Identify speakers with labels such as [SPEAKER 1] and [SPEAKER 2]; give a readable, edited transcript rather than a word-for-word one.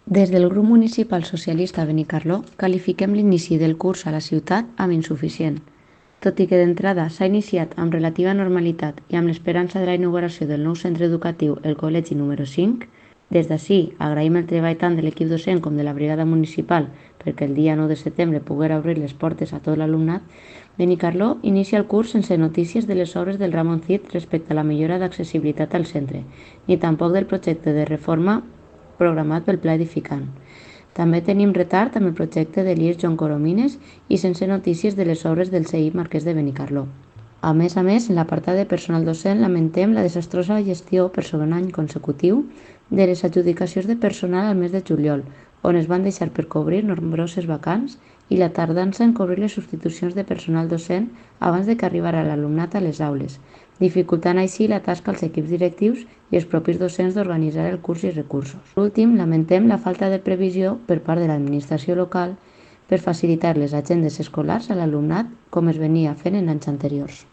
[SPEAKER 1] Des del grup municipal socialista Benicarló qualifiquem l'inici del curs a la ciutat amb insuficient. Tot i que d'entrada s'ha iniciat amb relativa normalitat i amb l'esperança de la inauguració del nou centre educatiu, el col·legi número 5, des d'ací agraïm el treball tant de l'equip docent com de la brigada municipal perquè el dia 9 de setembre poguera obrir les portes a tot l'alumnat. Benicarló inicia el curs sense notícies de les obres del Ramon Cid respecte a la millora d'accessibilitat al centre, ni tampoc del projecte de reforma programat pel Pla Edificant. També tenim retard amb el projecte de l'IES Joan Coromines i sense notícies de les obres del CEI Marquès de Benicarló. A més, en l'apartat de personal docent lamentem la desastrosa gestió per segon any consecutiu de les adjudicacions de personal al mes de juliol, on es van deixar per cobrir nombroses vacants i la tardança en cobrir les substitucions de personal docent abans de que arribara l'alumnat a les aules, dificultant així la tasca als equips directius i els propis docents d'organitzar el curs i recursos. Per últim, lamentem la falta de previsió per part de l'administració local per facilitar les agendes escolars a l'alumnat com es venia fent en anys anteriors.